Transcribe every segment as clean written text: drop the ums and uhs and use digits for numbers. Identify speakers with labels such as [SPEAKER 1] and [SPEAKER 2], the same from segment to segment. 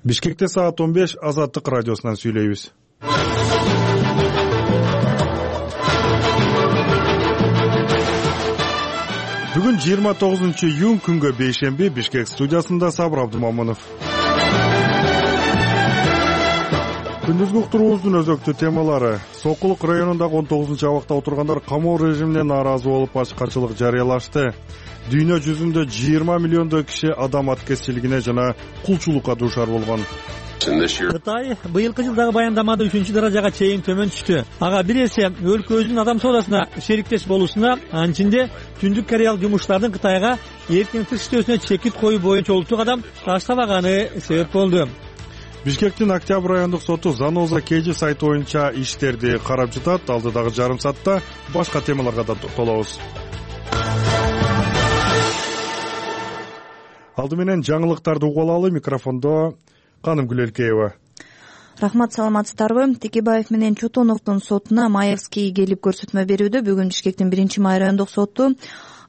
[SPEAKER 1] Бишкекте саат 15 Азаттык радиосунан сүйлөйбүз. Бүгүн 29-июнь күнгө бейшемби. Бишкек студиясында Сабыр Абдумамынов. Күндүзгү уктуруубуздун өзөктүү темалары: Сокулук районундагы 19-абакта отургандар камоо режимине нааразы болуп ачкачылык жарыялашты. Дүйнө жүзүндө 20 миллиондой киши адам аткезчилигине жана кулчулукка дуушар болгон.
[SPEAKER 2] Кытай быйылкы жылдагы баяндамада 3-даражага чейин төмөн түштү. Ага бир эсе өлкөбүздүн адам соодасына шериктеш болуусуна, анын ичинде Түндүк Кореялык жумушчулардын Кытайга эркин тыш иштөөсүнө чекит коюу боюнча улуттук кадам таштабаганы себеп болду.
[SPEAKER 1] Бишкектин Октябрь райондук соту Заноза KG сайты боюнча иштерди карап жатат. Алдыдагы жарым саатта башка темаларга да токтолобуз. Алды менен жаңылыктарды угуп алалы. Микрофондо Каным Гүлелкеева.
[SPEAKER 3] Рахмат, саламатсыздарбы? Текебаев менен Чотоновдун сотуна Маевский келип көрсөтмө берүүдө. Бүгүн Бишкектин 1-май райондук соту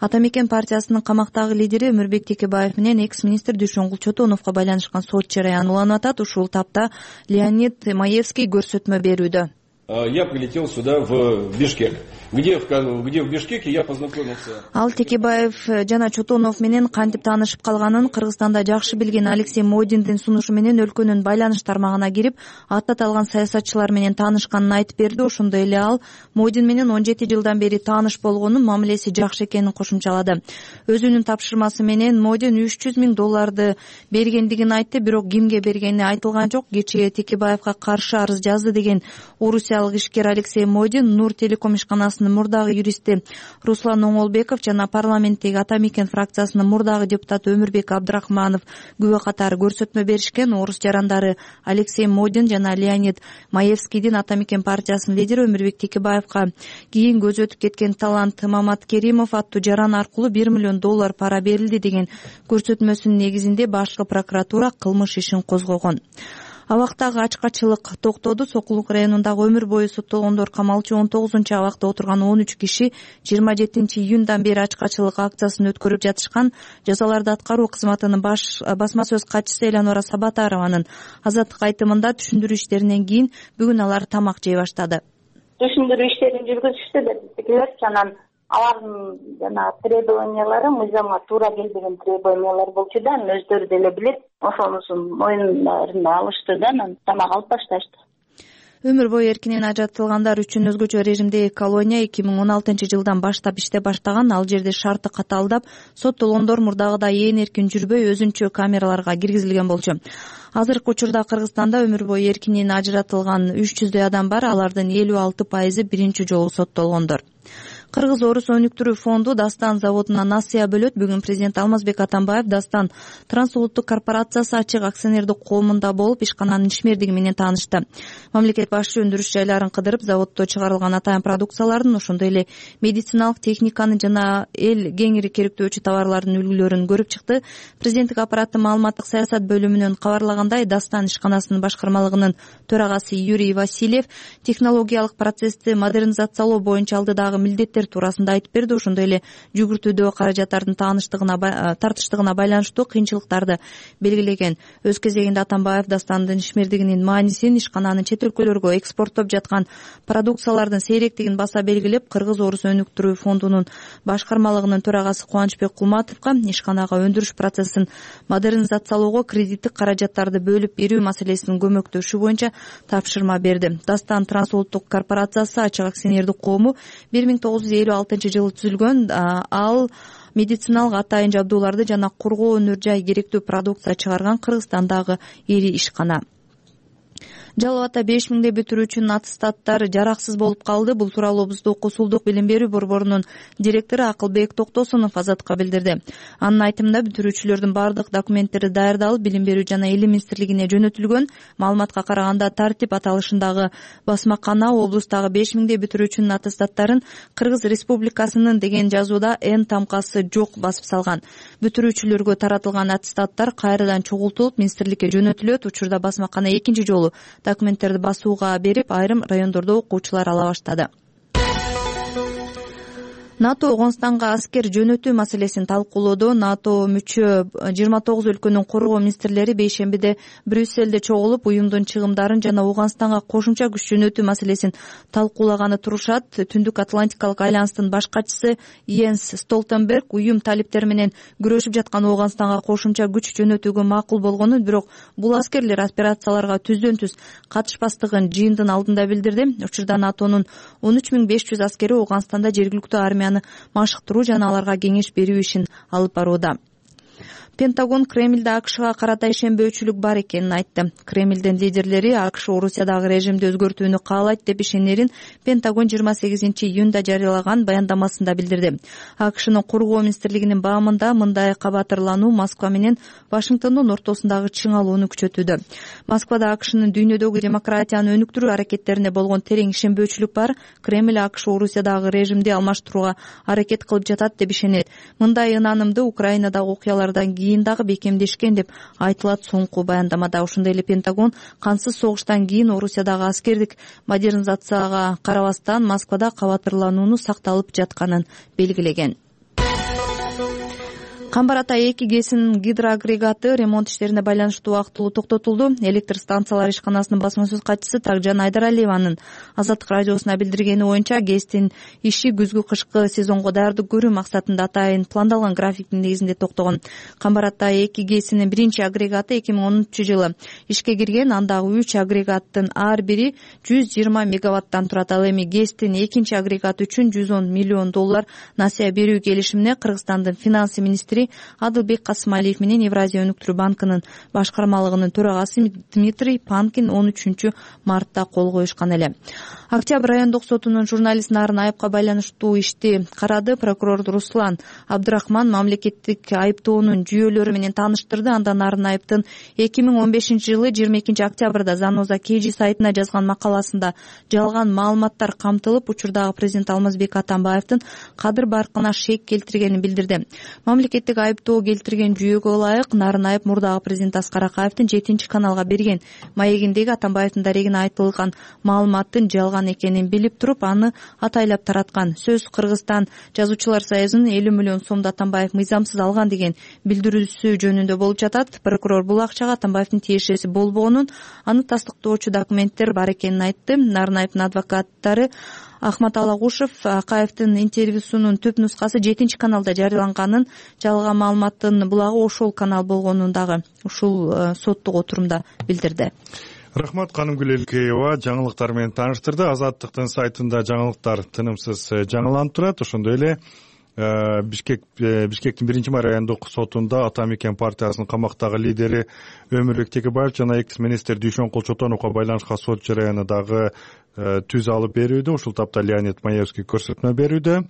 [SPEAKER 3] Атамекен партиясынын камактагы лидери Өмүрбек Текебаев менен экс-министр Дүйшөнгул Чотоновго байланышкан сот жарыяны уланып атат. Ушул тапта Леонид Маевский көрсөтмө берүүдө.
[SPEAKER 4] Я прилетел сюда в Бишкек. Где в Бишкеке я познакомился.
[SPEAKER 3] Ал Текебаев жана Чотонов менен кантип таанышып калганын Кыргызстанда жакшы билген Алексей Модиндин сунушу менен өлкөнүн байланыш тармагына кирип, аттаталган саясатчылар менен таанышканын айтып берди. Ошондой эле ал Модин менен 17 жылдан бери тааныш болгонун, мамилеси жакшы экенин кошумчалады. Өзүнүн тапшырмасы менен Модин $300 000 бергендигин айтты, бирок кимге бергени айтылган жок. Кечээ Текебаевга каршы арыз жазды деген орусиялык ишкер Алексей Модин Нур телеком ишканасынын мурдагы юристи Руслан Оңолбеков жана парламенттеги Атамекен фракциясынын мурдагы депутаты Өмүрбек Абдрахманов күбө катары көрсөтмө беришкен. Орус жарандары Алексей Модин жана Леонид Маевскийдин Атамекен партиясынын лидери Өмүрбек Текебаевга кийин көзү өтүп кеткен талант Мамат Керимов аттуу жаран аркылуу $1 миллион пара берилди деген көрсөтмөсүнүн негизинде башкы прокуратура кылмыш ишин козгогон. Абактагы ачкачылык токтоду. Сокулук районундагы өмүр бою соттолгондор камалчу 19-абакта отурган 13 киши 27-июндан бери ачкачылык акциясын өткөрүп жатышкан. Жазаларды аткаруу кызматынын басма сөз катчысы Элянора Сабатарованын Азаттык айтымында түшүндүрүү иштеринен кийин бүгүн алар тамак жей баштады.
[SPEAKER 5] Түшүндүрүү иштерин жүргүзүштү деп анан алардын жана требованиялары мыйзамга туура келбеген требованиялар болчу да, анан өздөрү деле билет, ошонусун моюндарына алышты да, анан тамак алып башташты.
[SPEAKER 3] Өмүр бою эркинен ажыратылгандар үчүн өзгөчө режимдеги колония 2016 жылдан баштап иштеп баштаган. Ал жерде шарты катаалдап, соттолгондор мурдагыдай ээн эркин жүрбөй, өзүнчө камераларга киргизилген болчу. Азыркы учурда Кыргызстанда өмүр бою эркинен ажыратылган 300 адам бар. Алардын 56% биринчи жолу соттолгондор. Кыргыз-Орус өнүктүрүү фонду Дастан заводуна насыя бөлөт. Бүгүн президент Алмазбек Атамбаев Дастан трансулуттук корпорациясы ачык акционердик коомунда болуп, ишкананын ишмердиги менен таанышты. Мамлекет башчы өндүрүш жайларын кыдырып, заводдо чыгарылган атайын продукциялардын, ошондой эле медициналык техниканын жана эл кеңири керектөөчү товарлардын үлгүлөрүн көрүп чыкты. Президенттик аппараттын маалыматтык саясат бөлүмүнөн кабарлагандай, Дастан ишканасынын башкармалыгынын төрагасы Юрий Васильев технологиялык процессти модернизациялоо боюнча алдыдагы милдеттер туурасында айтып берди. Ошондой эле жүгүртүүдөгү каражаттардын тартыштыгына байланыштуу кыйынчылыктарды белгилеген. Өз кезегинде Атамбаев Дастандын ишмердигинин маанисин, ишкананын чет өлкөлөргө экспорттоп жаткан продукциялардын сейректигин баса белгилеп, Кыргыз-Орус өнүктүрүү фондунун башкармалыгынын төрагасы Кубанычбек Кулматовго ишканага өндүрүш процессин модернизациялоого кредиттик каражаттарды бөлүп берүү маселесин көмөктөшүү боюнча тапшырма берди. Дастан трансулуттук корпорациясы ачык акционердик коому 1956 түзүлгөн. Ал медициналык атайын жабдууларды жана кургоо өнөр жай керектүү продукция чыгарган Кыргызстандагы ири ишкана. Жалал Ата 5000 бүтүрүүчүнүн аттестаттары жараксыз болуп калды. Бул тууралуу Облустук Косулдук билим берүү борборунун директору Акылбек Токтосунов Азаттыкка билдирди. Анын айтымында бүтүрүүчүлөрдүн бардык документтери даярдалып, билим берүү жана илим министрлигине жөнөтүлгөн. Маалыматка караганда тартип аталышындагы басмакана облустагы 5000 бүтүрүүчүнүн аттестаттарын Кыргыз Республикасынын деген жазууда Н тамкасы жок басып салган. Бүтүрүүчүлөргө таратылган аттестаттар кайрадан чогултулуп министрликке жөнөтүлөт. Учурда басмакана экинчи жолу документтерди басууга берип, айрым райондордо окуучулар ала баштады. НАТО Ооганстанга аскер жөнөтүү маселесин талкуулоодо. НАТО мүчө 29 өлкөнүн коргоо министрлери бейшембиде Брюссельде чогулуп, уюмдун чыгымдарын жана Ооганстанга кошумча күч жөнөтүү маселесин талкуулаганы турушат. Түндүк Атлантикалык альянстын баш катчысы Йенс Столтенберг уюм талиптери менен күрөшүп жаткан Ооганстанга кошумча күч жөнөтүүгө макул болгонун, бирок бул аскерлер операцияларга түздөн түз катышпастыгын жыйындын алдында билдирди. Учурда НАТОнун 13500 аскери Ооганстанда жергиликтүү армияны машыктыруу жана аларга кеңеш берүү ишин алып барууда. Пентагон Кремльде АКШга карата ишенбөөчүлүк бар экенин айтты. Кремльдин лидерлери АКШ Орусиядагы режимди өзгөртүүнү каалайт деп ишенерин Пентагон 28-июнда жарыялаган баяндамасында билдирди. АКШнын коргоо министрлигинин баамында мындай кабатырлануу Москва менен Вашингтондун ортосундагы чыңалууну күчөтүүдө. Москвада АКШнын дүйнөдөгү демократияны өнүктүрүү аракеттерине болгон терең ишенбөөчүлүк бар. Кремль АКШ Орусиядагы режимди алмаштырууга аракет кылып жатат деп ишенет. Мындай ынанымды Украинадагы окуялардан кийин дагы бекемдешкен деп айтылат соңку баяндамада. Ошондой эле Пентагон кансыз согуштан кийин Орусиядагы аскердик модернизацияга карабастан Москвада кабатырланууну сакталып жатканын белгилеген. Камбар Ата 2 ГЭСинин гидроагрегаты ремонт иштерине байланыштуу убактылуу токтотулду. Электр станциялар ишканасынын басма сөз катчысы Такжан Айдаралиеванын Азаттык радиосуна билдиргени боюнча, ГЭСтин иши күзгү-кышкы сезонго даярдык көрүү максатында атайын пландалган графиктин негизинде токтогон. Камбар Ата 2 ГЭСинин биринчи агрегаты 2010-жылы ишке кирген. Андагы 3 агрегаттын ар бири 120 мегаваттан турат. Ал эми ГЭСтин экинчи агрегаты үчүн $110 миллион насыя берүү келишимине Кыргызстандын финансы министри Адылбек Касымалиев менен Евразия өнүктүрүү банкынын башкармалыгынын төрагасы Дмитрий Панкин 13 мартта кол коюшкан эле. Октябрь райондук сотунун журналист Нарын Айыпка байланыштуу ишти карады. Прокурор Руслан Абдрахман мамлекеттик айыптоонун жүйөлөрү менен тааныштырды. Анда Нарын Айыптын 2015-жылы 22 октябрда Заноза KG сайтына жазган макаласында жалган маалыматтар камтылып, учурдагы президент Алмазбек Атамбаевдин кадыр баркына шек келтиргенин билдирди. Мамлекеттик айыптоо келтирген жүйөгө ылайык Нарын Айып мурдагы президент Аскар Акаевдин 7-каналга берген маегиндеги Атамбаевдин дарегине айтылган маалыматтын жалган экенин билип туруп, аны атайлап тараткан. Сөз Кыргызстан жазуучулар союзунун 50 миллион сомду Атамбаев мыйзамсыз алган деген билдирүүсү жөнүндө болуп жатат. Прокурор бул акчага Атамбаевдин тиешеси болбогонун, аны тастыктоочу документтер бар экенин айтты. Нарын Айыптын адвокаттары Ахмат Алагушев Акаевдин интервьюсунун түп нускасы 7-каналда жарыяланганын, жалган маалыматтын булагы ошол канал болгонун дагы ушул соттук отурумда билдирди.
[SPEAKER 1] Рахмат, Канымгүл Элкеева жаңылыктар менен тааныштырды. Азаттыктын сайтында жаңылыктар тынымсыз жаңыланып турат. Ошондой эле Бишкектин 1-май райондук сотунда Ата Мекен партиясынын камактагы лидери Өмүрбек Текебаев жана экс-министр Дүйшөнкул Чотоновго байланышкан сот жарыяны дагы түз алып берүүдө. Ушул тапта Леонид Маевский көрсөтмө берүүдө.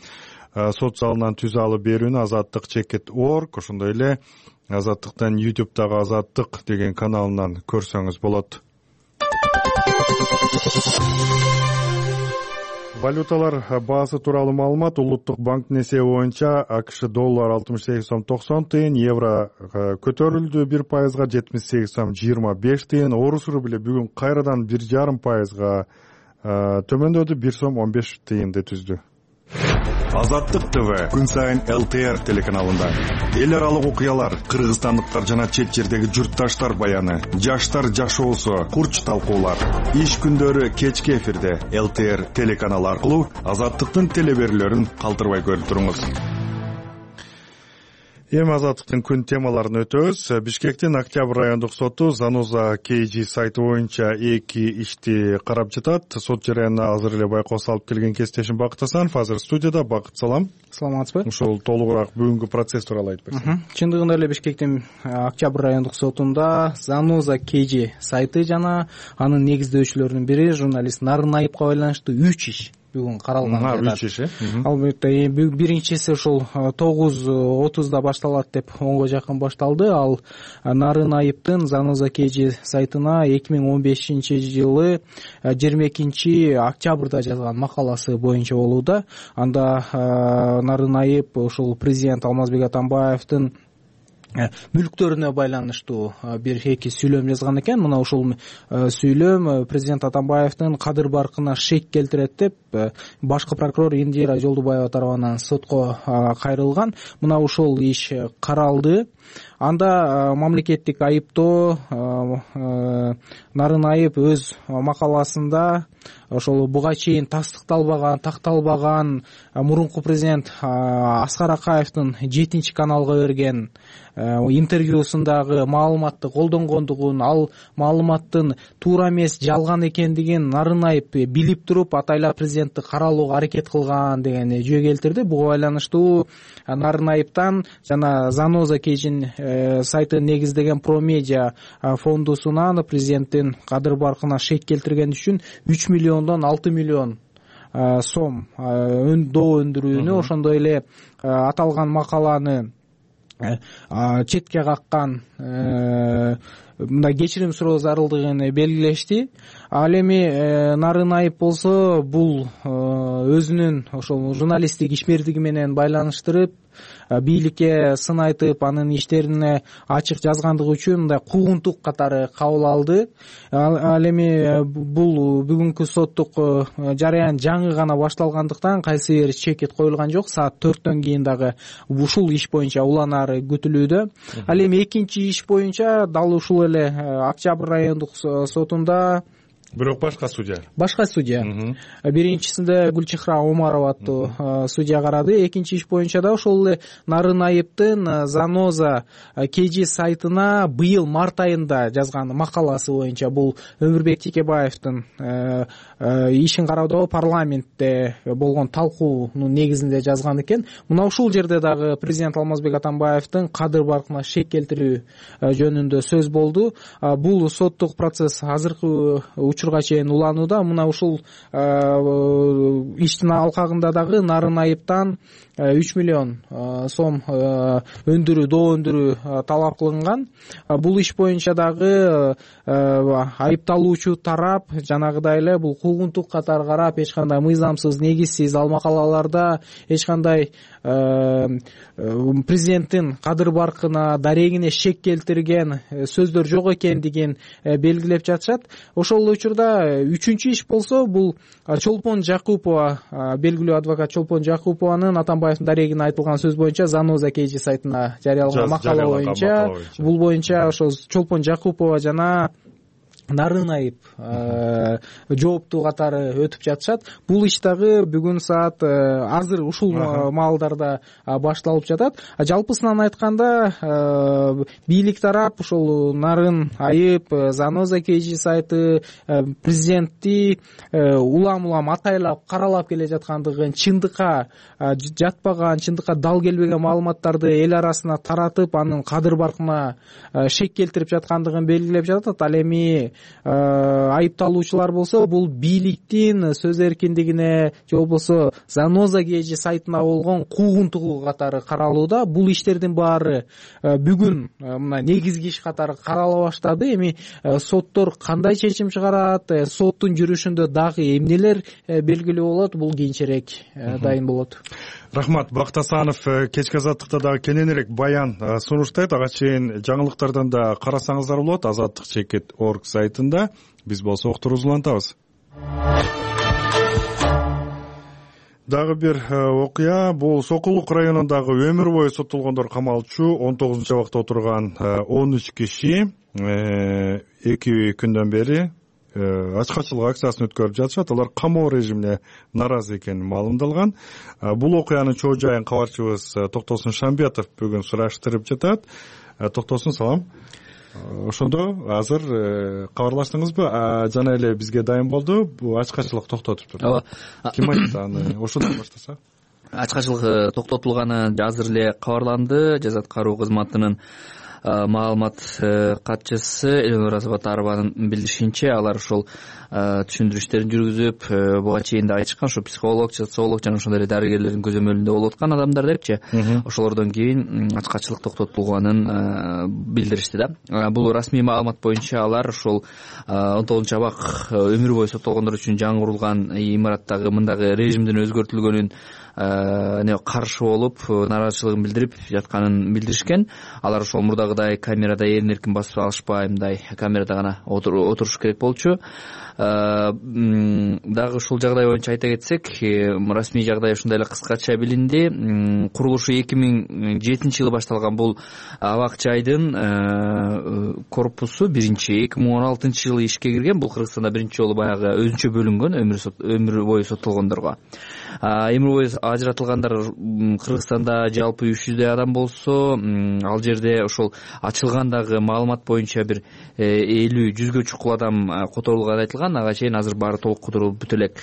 [SPEAKER 1] Сот залынан түз алып берүүнү Азаттык Чекет.org, ошондой эле Азаттыктан YouTube'дагы Азаттык деген каналынан көрсөңүз болот. Валюталар баасы тууралуу маалымат. Улуттук банктын эсеби боюнча АКШ доллар 68 сом 90 тыйын, евро көтөрүлдү 1%, 78 сом 25 тыйын. Орус рубли бүгүн кайрадан 1,5% төмөндөдү, 1 сом 15 тыйынды түздү. Азаттык ТВ күн сайын ЛТР телеканалында эл аралык окуялар, кыргызстандыктар жана чет жердеги журтташтар баяны, жаштар жашоосу, курч талкуулар. Иш күндөрү кечки эфирде ЛТР телеканалы аркылуу Азаттыктын телеберүүлөрүн калтырбай көрүп туруңуз. Эми Азаттыктын күн темаларын өтөбүз. Бишкектин Октябрь райондук соту Заноза KG сайты боюнча 2 ишти карап жатат. Сот жарыянына азыр эле байкоо салып келген кесиптешим Бакыт Асанов азыр студияда. Бакыт, салам.
[SPEAKER 6] Саламатсызбы?
[SPEAKER 1] Ушул толугураак бүгүнкү процесс тууралуу айтып берсең.
[SPEAKER 6] Чындыгында эле Бишкектин Октябрь райондук сотунда Заноза KG сайты жана анын негиздөөчүлөрүнүн бири журналист Нарын Айыпка байланыштуу 3 иш бүгүн каралган.
[SPEAKER 1] 3 иш.
[SPEAKER 6] Албетте биринчиси ушул 9:30 башталат деп 10го жакын башталды. Ал Нарын Айыптын Заноза KG сайтына 2015-жылы 22 октябрда жазган макаласы боюнча болууда. Анда Нарын Айып ушул президент Алмазбек Атамбаевдин мүлктөрүнө байланыштуу бир эки сүйлөм жазган экен. Мына ушул сүйлөм президент Атамбаевдин кадыр баркына шек келтирет деп башкы прокурор Индира Жолдубаева тарабынан сотко кайрылган. Мына ушул иш каралды. Анда мамлекеттик айыптоо Нарынайып өз макаласында ошол буга чейин такталбаган мурунку президент Аскар Акаевдин 7-каналга берген интервьюсундагы маалыматты колдонгондугун, ал маалыматтын туура эмес, жалган экендигин Нарынайып билип туруп атайлап президентти каралууга аракет кылган деген жөө келтирди. Буга байланыштуу Нарынайыптан жана Заноза Кейжин сайтын негиздеген Промедиа фондусунан президенттин кадыр баркына шек келтирген үчүн 3 миллиондон 6 миллион сом доо өндүрүүнү, ошондой эле аталган макаланы четке каккан мындай кечирим суроо зарылдыгын белгилешти. Ал эми Нарынайып болсо бул өзүнүн ошол журналисттик ишмердиги менен байланыштырып, бийликке сын айтып, анын иштерине ачык жазгандыгы үчүн мындай куугунтук катары кабыл алды. Ал эми бул бүгүнкү соттук жараян жаңы гана башталгандыктан кайсы бир чекит коюлган жок. Саат 4төн кийин дагы ушул иш боюнча уланары күтүлүүдө. Ал эми экинчи иш боюнча дал ушул эле Октябрь райондук сотунда
[SPEAKER 1] бирок башка судья. Биринчисинде Гүлчехра Омарова аттуу судья карады. Экинчи иш боюнча да ошол эле Нарынайыптын Заноза Кейжи сайтына быйыл март айында жазган макаласы боюнча бул Өмүрбек Текебаевдин ишин кароодо парламентте болгон талкуунун негизинде жазган экен. Мына ушул жерде дагы президент Алмазбек Атамбаевдин кадыр баркына шек келтирүү жөнүндө сөз болду. Бул соттук процесс азыркы учурга чейин уланууда. Мына ушул иштин алкагында дагы Нарынайыптан 3 миллион сом өндүрүү, доо өндүрүү талап кылынган. Бул иш боюнча дагы айыпталуучу тарап жанагыдай эле бул куугунтук катары карап, эч кандай мыйзамсыз, негизсиз ал макалаларда эч кандай президенттин кадыр баркына, дарегине шек келтирген сөздөр жок экендигин белгилеп жатышат. Ошол учурда үчүнчү иш болсо бул Чолпон Жакупова, белгилүү адвокат Чолпон Жакупованын Атамбаевдин дарегине айтылган сөз боюнча Заноза Кейжи сайтына жарыялаган макала боюнча, бул боюнча ошол Чолпон Жакупова жана Нарынайып жооптуу катары өтүп жатышат. Бул иш дагы бүгүн саат азыр ушул маалдарда башталып жатат. Жалпысынан айтканда бийлик тарап ушул Нарынайып, Заноза Кейжи сайты президентти улам атайлап каралап келе жаткандыгын, чындыкка жатпаган, чындыкка дал келбеген маалыматтарды эл арасына таратып, анын кадыр баркына шек келтирип жаткандыгын белгилеп жатат. Ал эми айыпталуучулар болсо бул бийликтин сөз эркиндигине же болбосо Заноза Кейжи сайтына болгон куугунтугу катары каралууда. Бул иштердин баары бүгүн мына негизги иш катары карала баштады. Эми соттор кандай чечим чыгарат, соттун жүрүшүндө дагы эмнелер белгилүү болот, бул кийинчерээк дайын болот. Рахмат. Бакыт Асанов кечки азаттыкта дагы кененирээк баян сунуштайт. Ага чейин жаңылыктардан да карасаңыздар болот azadlik.org сайтында. Биз болсо уктуруубузду улантабыз. Дагы бир окуя, бул Сокулук районундагы өмүр бою соттолгондор камалчу 19-абакта отурган 13 киши 2 күндөн бери ачкачылык акциясын өткөрүп жатышат. Алар камоо режимине нааразы экени маалымдалган. Бул окуянын чоо жайын кабарчыбыз Токтосун Шамбетов бүгүн сураштырып жатат. Токтосун, салам. Ошондо азыр кабарлаштыңызбы? Жана эле бизге дайын болду. Бул ачкачылык токтотуптур. Ооба. Ким айтты аны? Ошондон баштаса.
[SPEAKER 7] Ачкачылык токтотулганы азыр эле кабарланды. Жаза аткаруу кызматынын маалымат катчысы Элнура Сабатарованын билдиришинче, алар ошол түшүндүрүштөрүн жүргүзүп, буга чейин да айтышкан, ошо психолог, социолог жана ошондой эле дарыгерлердин көзөмөлүндө болуп аткан адамдар депчи. Ошолордон кийин ачкачылык токтотулганын билдиришти да. Бул расмий маалымат боюнча алар ошол 19-абак өмүр бою соттолгондор үчүн жаңы курулган имараттагы мындагы режимдин өзгөртүлгөнүн каршы болуп нааразычылыгын билдирип жатканын билдиришкен. Алар ошол мурдагыдай камерада эркин эркин басып алышпай, мындай камерада гана отуруш керек болчу. Дагы ушул жагдай боюнча айта кетсек, расмий жагдай ушундай эле кыскача билинди. Курулушу 2007-жылы башталган бул абак жайдын корпусу 2016-жылы ишке кирген. Бул Кыргызстанда биринчи жолу баягы өзүнчө бөлүнгөн өмүр бою соттолгондорго. Өмүр бою ажыратылгандар Кыргызстанда жалпы 300 адам болсо, ал жерде ошол ачылгандагы маалымат боюнча бир 50-100гө чукул адам которулганы айтылган. Ага чейин азыр баары толук которулуп бүтө элек.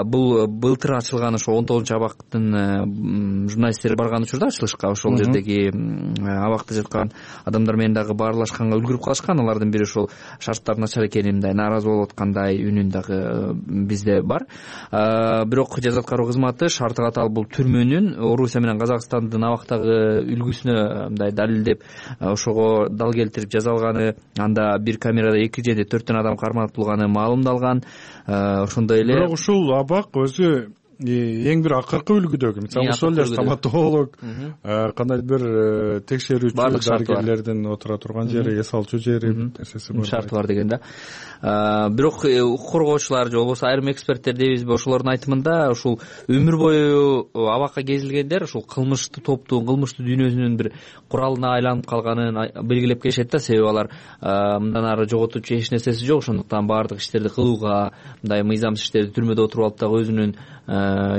[SPEAKER 7] Бул былтыр ачылган ошо 19-абактын журналисттери барган учурда ачылышка ошол жердеги абакта жаткан адамдар менен дагы баарлашканга үлгүрүп калышкан. Алардын бири ошол шарттар начар экени, мындай нааразы болуп аткандай үнүн дагы бизде бар. Бирок жаза аткаруу кызматы шарты катаал бул түрмөнүн Орусия менен Казакстандын абактагы үлгүсүнө мындай далилдеп, ошого дал келтирип жазалганы, анда бир камерада 2 же 4 адам карматылганы маалымдалган. Ошондой эле
[SPEAKER 1] бирок ушул абак өзү эң бир акыркы үлгүдөгү, мисалы ошол эле стоматолог, кандайдыр бир текшерүүчү дарыгерлердин отура турган жери, эс алчу жери нерсеси бар.
[SPEAKER 7] Шарты бар дегенде. Бирок укук коргоочулар же болбосо айрым эксперттер дейбизби, ошолордун айтымында ушул өмүр бою абакка кезилгендер ушул кылмыштуу топтун, кылмыштуу дүйнөсүнүн бир куралына айланып калганын белгилеп келишет да. Себеби алар мындан ары жоготуучу эч нерсеси жок. Ошондуктан баардык иштерди кылууга, мындай мыйзамсыз иштерди түрмөдө отуруп алып дагы өзүнүн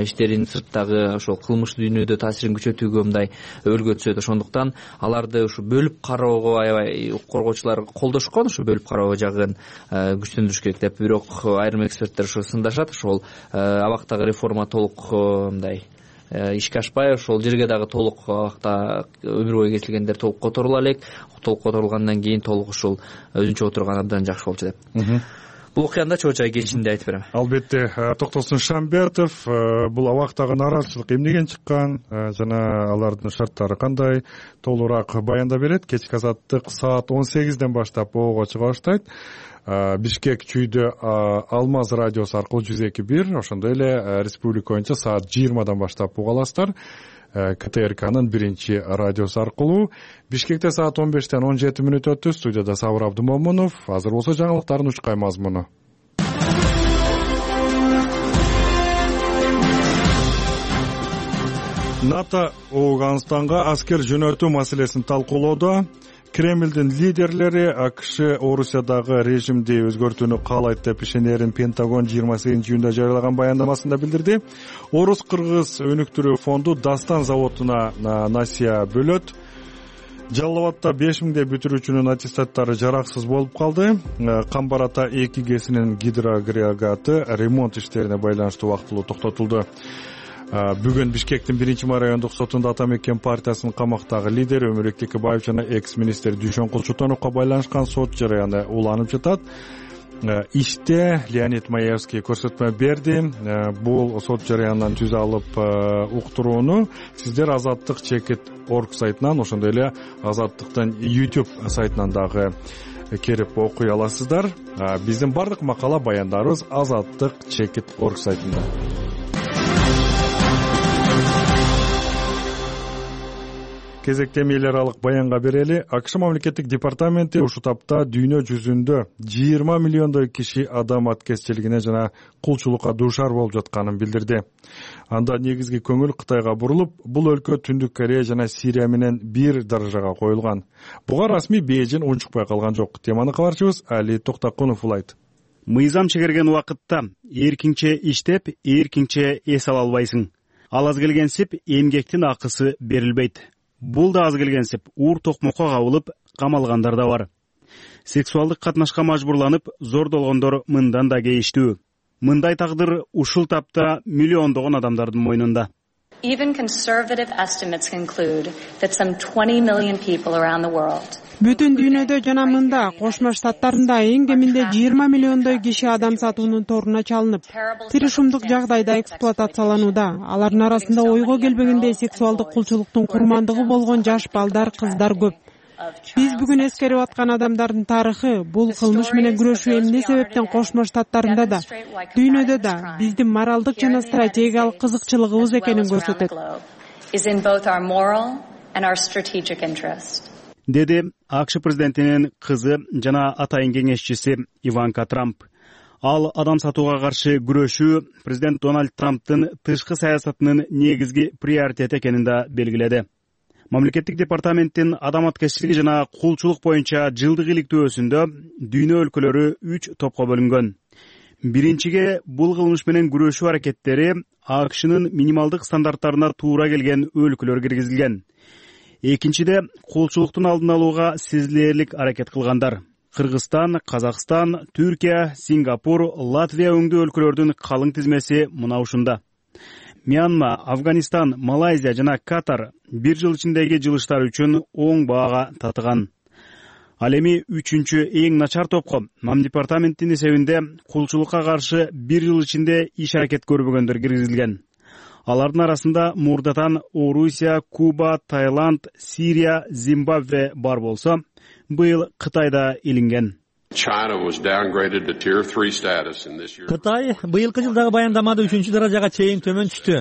[SPEAKER 7] иштерин сырттагы ошол кылмыштуу дүйнөдө таасирин күчөтүүгө мындай өргө түшөт. Ошондуктан аларды ушу бөлүп кароого аябай укук коргоочулар колдошкон. Ушу бөлүп кароо жагын күчтөндүрүш керек деп. Бирок айрым эксперттер ушу сындашат. Ошол абактагы реформа толук мындай ишке ашпай, ошол жерге дагы толук абакта өмүр бою кесилгендер толук которула элек. Толук которулгандан кийин толук ушул өзүнчө отурган абдан жакшы болчу деп. Бул окуяны да чоочай кечинде айтып берем.
[SPEAKER 1] Албетте, Токтосун Шамбетов бул абактагы нааразычылык эмнеден чыккан жана алардын шарттары кандай толугураак баяндап берет. Кечки азаттык саат 18ден баштап ого чыга баштайт. Бишкек чүйдө Алмаз радиосу аркылуу 102.1, ошондой эле республика боюнча саат 20дан баштап уга аласыздар. КТРКнын биринчи радиосу аркылуу. Бишкекте саат 15ден 17 мүнөт өттү. Студияда Сабыр Абдымомунов. Азыр болсо жаңылыктардын учкай мазмуну. НАТО Афганистанга аскер жөнөтүү маселесин талкуулоодо. Кремлдин лидерлери АКШ Орусиядагы режимди өзгөртүүнү каалайт деп ишенерин Пентагон 28-июнда жарыялаган баяндамасында билдирди. Орус-кыргыз өнүктүрүү фонду Дастан заводуна насыя бөлөт. Жалал Абадта 5000 бүтүрүүчүнүн аттестаттары жараксыз болуп калды. Камбар-Ата 2 ГЭСинин гидроагрегаты ремонт иштерине байланыштуу вактылуу токтотулду. Бүгүн Бишкектин 1-май райондук сотунда Атамекен партиясынын камактагы лидери Өмүрбек Текебаев жана экс-министр Дүйшөн Кулчутоновго байланышкан сот жарыяны уланып жатат. Иште Леонид Маевский көрсөтмө берди. Бул сот жарыянынан түз алып уктурууну сиздер Азаттык.org сайтынан, ошондой эле Азаттыктын YouTube сайтынан дагы керип окуй аласыздар. Биздин бардык макала баяндарыбыз Азаттык.org сайтында. Кезекте эл аралык баянга берели. АКШ мамлекеттик департаменти ушул тапта дүйнө жүзүндө 20 миллиондой киши адам аткезчилигине жана кулчулукка дуушар болуп жатканын билдирди. Анда негизги көңүл Кытайга бурулуп, бул өлкө Түндүк Корея жана Сирия менен бир даражага коюлган. Буга расмий Бейжин унчукпай калган жок. Теманы кабарчыбыз Али Токтакунов улайт.
[SPEAKER 8] Мыйзам чегерген убакытта эркинче иштеп, эркинче эс ала албайсың. Ал аз келгенсип эмгектин акысы берилбейт. Бул да аз келгенсип уур токмокко кабылып камалгандар да бар. Сексуалдык катнашка мажбурланып зордолгондор мындан да кейиштүү. Мындай тагдыр ушул тапта миллиондогон адамдардын мойнунда.
[SPEAKER 9] Even conservative estimates conclude that some 20 million people around the world.
[SPEAKER 10] Бүтүн дүйнөдө жана мында Кошмо Штаттарында эң кеминде 20 миллиондой киши адам сатуунун торуна чалынып, тырышымдык жагдайда эксплуатацияланууда. Алардын арасында ойго келбегендей сексуалдык кулчулуктун курмандыгы болгон жаш балдар, кыздар көп. Биз бүгүн эскерип аткан адамдардын тарыхы, бул кылмыш менен күрөшүү эмне себептен Кошмо Штаттарында да, дүйнөдө да биздин моралдык жана стратегиялык кызыкчылыгыбыз экенин көрсөтөт,
[SPEAKER 8] деди АКШ президентинин кызы жана атайын кеңешчиси Иванка Трамп. Ал адам сатууга каршы күрөшүү президент Дональд Трамптын тышкы саясатынын негизги приоритети экенин да белгиледи. Мамлекеттик департаменттин адам аткечтиги жана кулчулук боюнча жылдык иликтөөсүндө дүйнө өлкөлөрү 3 топко бөлүнгөн. Биринчиге бул кылмыш менен күрөшүү аракеттери АКШнын минималдык стандарттарына туура келген өлкөлөр киргизилген. Экинчиде кулчулуктун алдын алууга сезилэрлик аракет кылгандар. Кыргызстан, Казакстан, Түркия, Сингапур, Латвия өңдүү өлкөлөрдүн калың тизмеси мына ушунда. Мьянма, Афганистан, Малайзия жана Катар бир жыл ичиндеги жылыштар үчүн оң баага татыган. Ал эми 3-чү эң начар топко Мам департаменттин эсебинде кулчулукка каршы бир жыл ичинде иш аракет көрбөгөндөр киргизилген. Алардын арасында мурдатан Орусия, Куба, Таиланд, Сирия, Зимбабве бар болсо, быйыл Кытайда илинген.
[SPEAKER 2] Кытай быйылкы жылдагы баяндамада 3-чү даражага чейин төмөн түштү.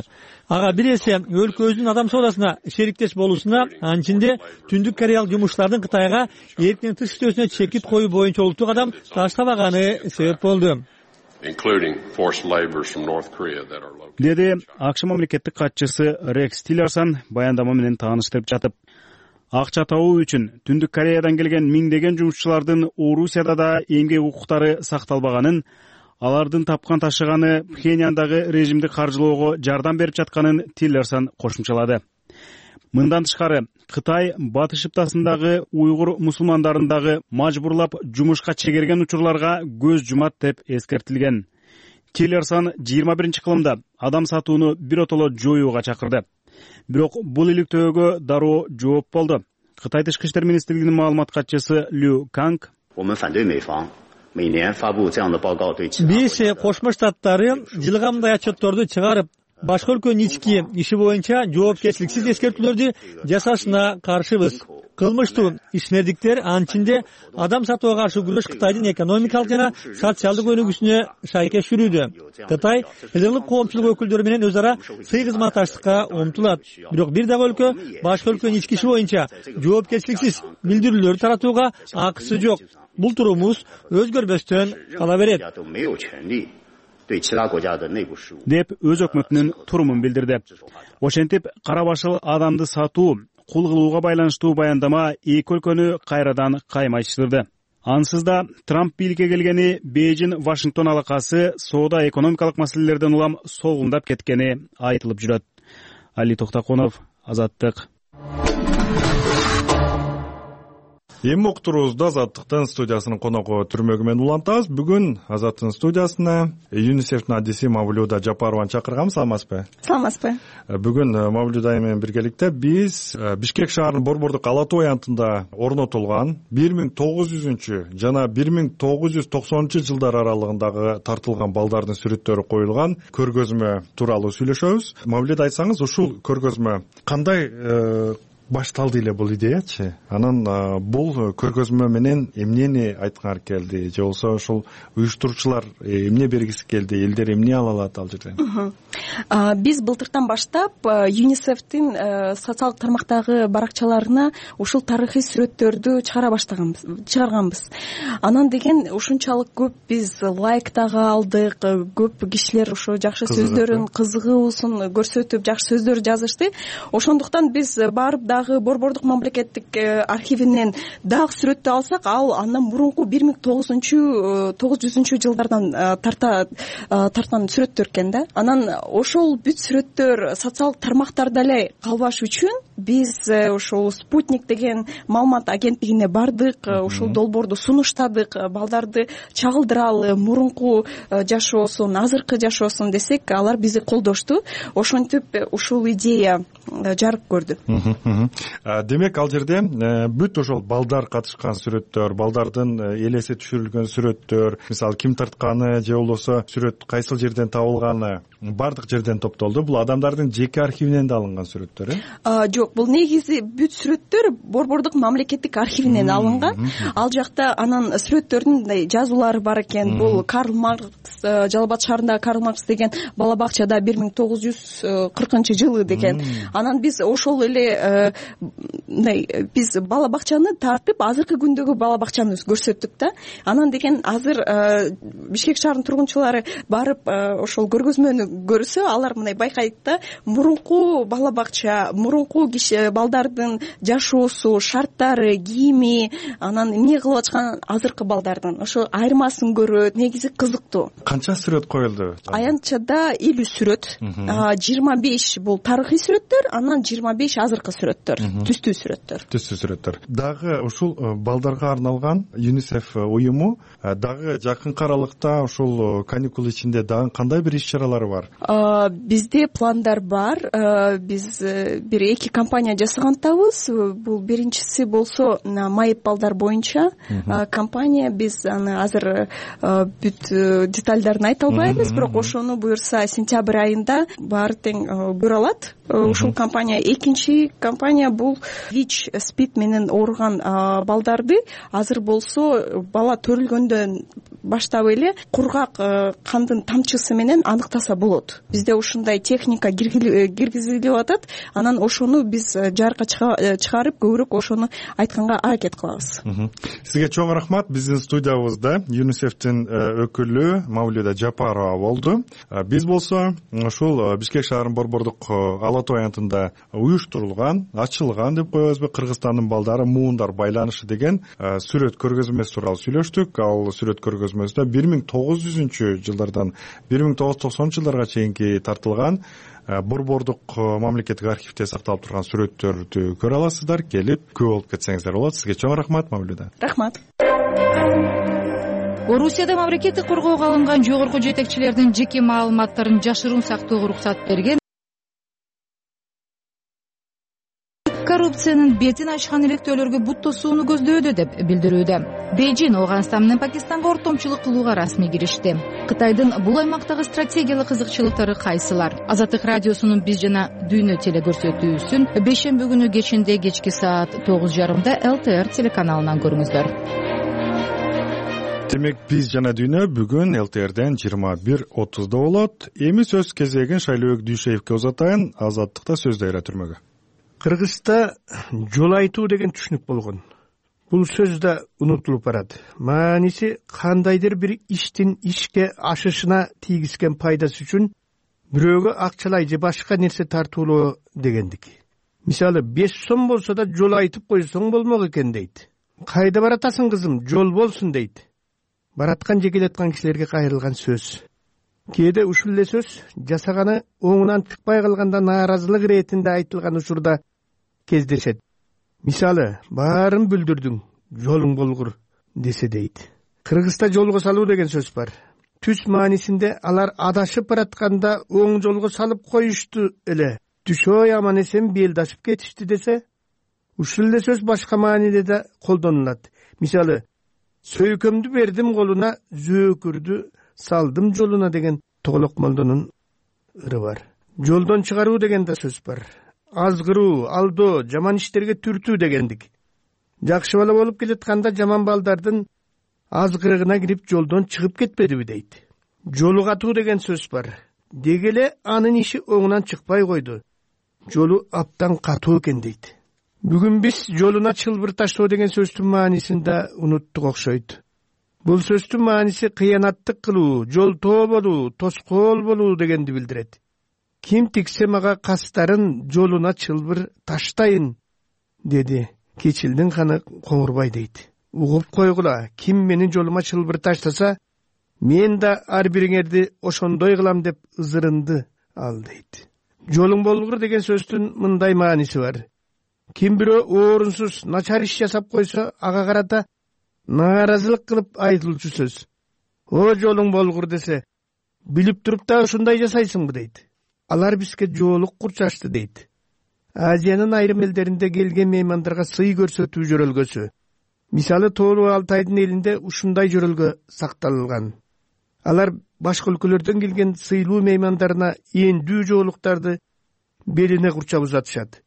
[SPEAKER 2] Ага бир эсе өлкөбүздүн адам соодасына шериктеш болуусуна, анчинде Түндүк Кореялык жумушчулардын Кытайга эркин тыш иштөөсүнө чекит коюу боюнча улуттук кадам таштабаганы себеп болду,
[SPEAKER 8] деди АКШ мамлекеттик катчысы Рекс Тиллерсон баяндама менен тааныштырып жатып. Акча табуу үчүн Түндүк Кореядан келген миңдеген жумушчулардын Орусияда да эмгек укуктары сакталбаганын, алардын тапкан ташыганы Пхеньяндагы режимди каржылоого жардам берип жатканын Тиллерсон кошумчалады. Мындан тышкары Кытай Батыш Шыптасындагы уйгур мусулмандарындагы мажбурлап жумушка чегерген учурларга көз жумат деп эскертилген. Тиллерсон 21-кылымда адам сатууну биротоло жоюуга чакырды. Бирок бул иликтөөгө дароо жооп болду. Кытай тышкы иштер министрлигинин маалымат катчысы Лю Канг:
[SPEAKER 2] биз Кошмо Штаттары жылга мындай отчетторду чыгарып, башка өлкөнүн ички иши боюнча жоопкерчиликсиз эскертүүлөрдү жасашына каршыбыз. Кылмыштуу ишмердиктер анчинде адам сатууга каршы күрөш Кытайдын экономикалык жана социалдык өнүгүүсүнө шайкеш жүрүүдө. Кытай элдик коомчулук өкүлдөрү менен өз ара сый кызматташтыкка умтулат. Бирок бир дагы өлкө башка өлкөнүн ички иши боюнча жоопкерчиликсиз билдирүүлөр таратууга акысы жок. Бул турумубуз өзгөрбөстөн кала берет,
[SPEAKER 8] деп өз өкмөтүнүн турумун билдирди. Ошентип, кара башыл адамды сатуу, кул кылууга байланыштуу баяндама эки өлкөнү кайрадан каймайтыштырды. Ансыз да Трамп бийликке келгени Бейжин-Вашингтон алакасы соода экономикалык маселелерден улам солгундап кеткени айтылып жүрөт. Али Токтоконов, Азаттык.
[SPEAKER 1] Эми уктуруубузду Азаттыктын студиясынын коногу Түрмөгү менен улантабыз. Бүгүн Азаттыктын студиясына ЮНИСЕФтин адиси Мавлюда Жапарованы чакырганбыз. Саламатсызбы?
[SPEAKER 11] Саламатсызбы.
[SPEAKER 1] Бүгүн Мавлюда менен биргеликте биз Бишкек шаарынын Борбордук Ала Тоо аянтында орнотулган 1900 жана 1990 жылдар аралыгындагы тартылган балдардын сүрөттөрү коюлган көргөзмө тууралуу сүйлөшөбүз. Мавлюда, айтсаңыз, ушул көргөзмө кандай башталды эле бул идеячы? Анан бул көргөзмө менен эмнени айткыңар келди? Же болбосо ушул уюштуруучулар эмне бергиси келди? Элдер эмне ала алат ал жерден?
[SPEAKER 11] Биз былтыртан баштап ЮНИСЕФтин социалдык тармактагы баракчаларына ушул тарыхый сүрөттөрдү чыгарганбыз. Анан деген ушунчалык көп биз лайк дагы алдык, көп кишилер ошо жакшы сөздөрүн, кызыгуусун көрсөтүп, жакшы сөздөр жазышты. Ошондуктан биз барып дагы Борбордук мамлекеттик архивинен дагы сүрөттү алсак, ал андан мурунку 1900 жылдардан тарткан сүрөттөр экен да. Анан ошол бүт сүрөттөр социалдык тармактарда эле калбаш үчүн биз ошол Спутник деген маалымат агенттигине бардык, ошол долбоорду сунуштадык, балдарды чагылдыралы, мурунку жашоосун, азыркы жашоосун десек, алар бизди колдошту. Ошентип ушул идея жарык көрдү.
[SPEAKER 1] Демек ал жерде бүт ошол балдар катышкан сүрөттөр, балдардын элеси түшүрүлгөн сүрөттөр, мисалы ким тартканы же болбосо сүрөт кайсыл жерден табылганы баардык жерден топтолду. Бул адамдардын жеке архивинен да алынган сүрөттөр,
[SPEAKER 11] Жок, бул негизи бүт сүрөттөр Борбордук мамлекеттик архивинен алынган. Ал жакта анан сүрөттөрдүн мындай жазуулары бар экен. Бул Карл Маркс, Жалал Абад шаарындагы Карл Маркс деген бала бакчада 1940-жылы деген. Анан биз ошол эле мындай биз бала бакчаны тартып, азыркы күндөгү бала бакчаны көрсөттүк да. Анан деген азыр Бишкек шаарынын тургунчулары барып ошол көргөзмөнү көрсө, алар мындай байкайт да, мурунку бала бакча, мурунку киши балдардын жашоосу, шарттары, кийими, анан эмне кылып аткан азыркы балдардын ошо айырмасын көрөт. Негизи кызыктуу.
[SPEAKER 1] Канча сүрөт коюлду?
[SPEAKER 11] Аянтчада 50 сүрөт, 25 бул тарыхый сүрөттөр, анан 25 азыркы сүрөттөр, түстүү сүрөттөр.
[SPEAKER 1] Түстүү сүрөттөр. Дагы ушул балдарга арналган ЮНИСЕФ уюму дагы жакынкы аралыкта ушул каникул ичинде дагы кандай бир иш-чаралары бар?
[SPEAKER 11] Бизде пландар бар. Биз бир 2 кампания жасагантабыз. Бул биринчиси болсо майып балдар боюнча кампания. Биз аны азыр бүт детальдарын айта албайбыз, бирок ошону буюрса сентябрь айында баары тең көрө алат. Ушул кампания. Экинчи кампания бул ВИЧ, СПИД менен ооруган балдарды азыр болсо бала төрүлгөндөн баштап эле кургак кандын тамчысы менен аныктаса болот. Бизде ушундай техника киргизилип атат. Анан ошону биз жарыкка чыгарып, көбүрөөк ошону айтканга аракет кылабыз.
[SPEAKER 1] Сизге чоң рахмат. Биздин студиябызда ЮНИСЕФтин өкүлү Мавлюда Жапарова болду. Биз болсо ушул Бишкек шаарынын борбордук Ала Тоо аянтында уюштурулган, ачылган деп коебузбу, Кыргызстандын балдары муундар байланышы деген сүрөт көргөзмөсү тууралуу сүйлөштүк. Ал сүрөт көргөзмөсүндө 1900-жылдардан 1990 жылдарга чейинки тартылган борбордук мамлекеттик архивде сакталып турган сүрөттөрдү көрө аласыздар. Келип күбө болуп кетсеңиздер болот. Сизге чоң рахмат, Мавлюда.
[SPEAKER 11] Рахмат.
[SPEAKER 12] Орусияда мамлекеттик коргоого алынган жогорку жетекчилердин жеке маалыматтарын жашыруун сактоого уруксат берген коррупциянын бетин ачкан иликтөөлөргө бут тосууну көздөдө деп билдирүүдө. Бейжин Ооганстан менен Пакистанга ортомчулук кылууга расмий киришти. Кытайдын бул аймактагы стратегиялык кызыкчылыктары кайсылар? Азаттык радиосунун Биз жана Дүйнө телекөрсөтүүсүн бейшемби күнү кечинде кечки саат 9:30 ЛТР телеканалынан көрүңүздөр.
[SPEAKER 1] Демек, Биз жана Дүйнө бүгүн ЛТРден 21:30 болот. Эми сөз кезегин Шайлообек Дүйшеевке узатайын. Азаттыкта сөз дайра түрмөгө.
[SPEAKER 13] Кыргызста жол айтуу деген түшүнүк болгон. Бул сөз да унутулуп барат. Мааниси кандайдыр бир иштин ишке ашышына тийгизген пайдасы үчүн бирөөгө акчалай же башка нерсе тартуулоо дегендик. Мисалы 5 сом болсо да жол айтып койсоң болмок экен дейт. Кайда баратасың кызым, жол болсун дейт. Бараткан же келаткан кишилерге кайрылган сөз. Кээде ушул эле сөз жасаганы оңунан чыкпай калганда нааразылык иретинде айтылган учурда кездешет. Мисалы, баарын бүлдүрдүң, жолуң болгур десе дейт. Кыргызста жолго салуу деген сөз бар. Түз маанисинде алар адашып баратканда оң жолго салып коюшту эле. Түшөй аман эсен белдашып кетишти десе, ушул эле сөз башка мааниде да колдонулат. Мисалы, сөйкөмдү бердим колуна, зөөкүрдү салдым жолуна деген Тоголок молдонун ыры бар. Жолдон чыгаруу деген да сөз бар. Азгыруу, алдоо, жаман иштерге түртүү дегендик. Жакшы бала болуп келатканда жаман балдардын азгырыгына кирип жолдон чыгып кетпедиби дейт. Жолу катуу деген сөз бар. Дегеле анын иши оңунан чыкпай койду. Жолу аптан катуу экен дейт. Бүгүн биз жолуна чылбыр таштоо деген сөздүн маанисин да унуттук окшойт. Бул сөздүн мааниси кыянаттык кылуу, жолтоо болуу, тоскоол болуу дегенди билдирет. Ким тиксе мага кастарын жолуна чылбыр таштайын, деди Кечилдин ханы Коңурбай дейт. Угуп койгула, ким менин жолума чылбыр таштаса, мен да ар бириңерди ошондой кылам деп ызырынды ал дейт. Жолуң болгур деген сөздүн мындай мааниси бар. Ким бирөө орунсуз начар иш жасап койсо, ага карата нааразылык кылып айтылчу сөз. О жолуң болгур десе, билип туруп да ушундай жасайсыңбы дейт. Алар бизге жоолук курчашты дейт. Азиянын айрым элдеринде келген меймандарга сый көрсөтүү жөрөлгөсү. Мисалы Тоолуу Алтайдын элинде ушундай жөрөлгө сакталган. Алар башка өлкөлөрдөн келген сыйлуу меймандарына эндүү жоолуктарды белине курчап узатышат.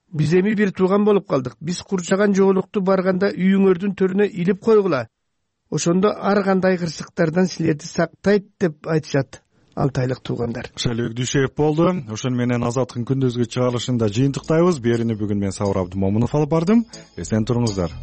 [SPEAKER 13] Биз эми бир тууган болуп калдык. Биз курчаган жоолукту барганда үйүңөрдүн төрүнө илип койгула. Ошондо ар кандай кырсыктардан силерди сактайт деп айтышат алтайлык туугандар.
[SPEAKER 1] Шайлыбек Дүйшеев болду. Ошону менен Азаттыктын күндүзгү чыгарылышында жыйынтыктайбыз. Берини бүгүн мен Сабыр Абдымомунов алып бардым. Эсен туруңуздар.